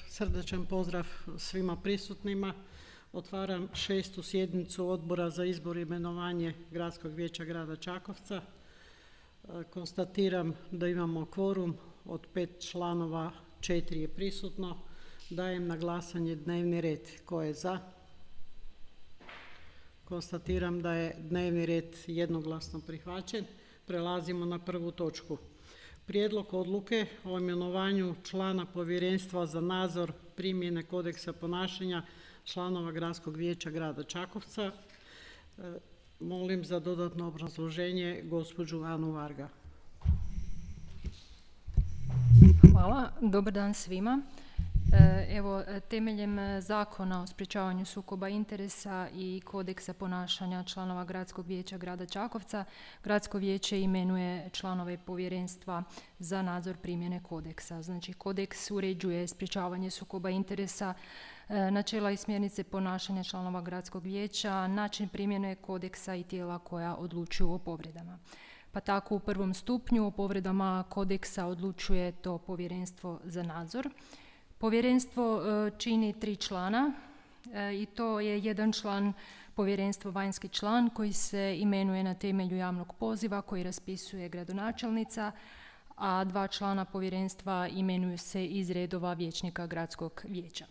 Srdačan pozdrav svima prisutnima. Otvaram 6. sjednicu Odbora za izbor i imenovanje Gradskog vijeća grada Čakovca. Konstatiram da imamo kvorum, od 5 članova 4 je prisutno. Dajem na glasanje dnevni red. Ko je za? Konstatiram da je dnevni red jednoglasno prihvaćen. Prelazimo na prvu točku. Prijedlog odluke o imenovanju člana Povjerenstva za nadzor primjene kodeksa ponašanja članova Gradskog vijeća grada Čakovca. Molim za dodatno obrazloženje gospođu Anu Varga. Hvala, dobar dan svima. Evo, temeljem Zakona o sprječavanju sukoba interesa i kodeksa ponašanja članova Gradskog vijeća grada Čakovca, Gradsko vijeće imenuje članove Povjerenstva za nadzor primjene kodeksa. Znači, kodeks uređuje sprječavanje sukoba interesa, načela i smjernice ponašanja članova Gradskog vijeća, način primjene kodeksa i tijela koja odlučuju o povredama. Pa tako u prvom stupnju o povredama kodeksa odlučuje to Povjerenstvo za nadzor. Povjerenstvo čini 3 člana i to je jedan član povjerenstva, vanjski član, koji se imenuje na temelju javnog poziva koji raspisuje gradonačelnica, a 2 člana povjerenstva imenuju se iz redova vijećnika Gradskog vijeća.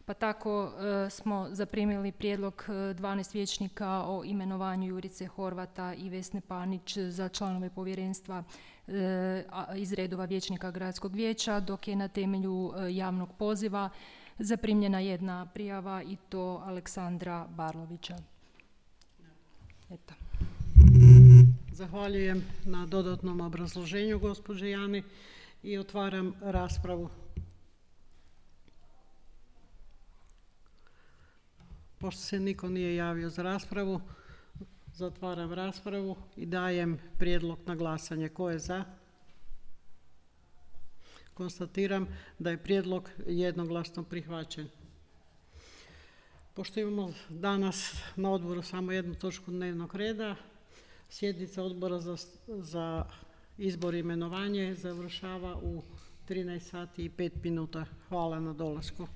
Pa tako smo zaprimili prijedlog 12 vijećnika o imenovanju Jurice Horvata i Vesne Panić za članove povjerenstva iz redova vijećnika Gradskog vijeća, dok je na temelju javnog poziva zaprimljena 1 prijava i to Aleksandra Barlovića. Eto. Zahvaljujem na dodatnom obrazloženju gospođe Jani i otvaram raspravu. Pošto se niko nije javio za raspravu, zatvaram raspravu i dajem prijedlog na glasanje. Ko je za? Konstatiram da je prijedlog jednoglasno prihvaćen. Pošto imamo danas na odboru samo 1 točku dnevnog reda, sjednica Odbora za izbor i imenovanje završava u 13 sati i 5 minuta. Hvala na dolasku.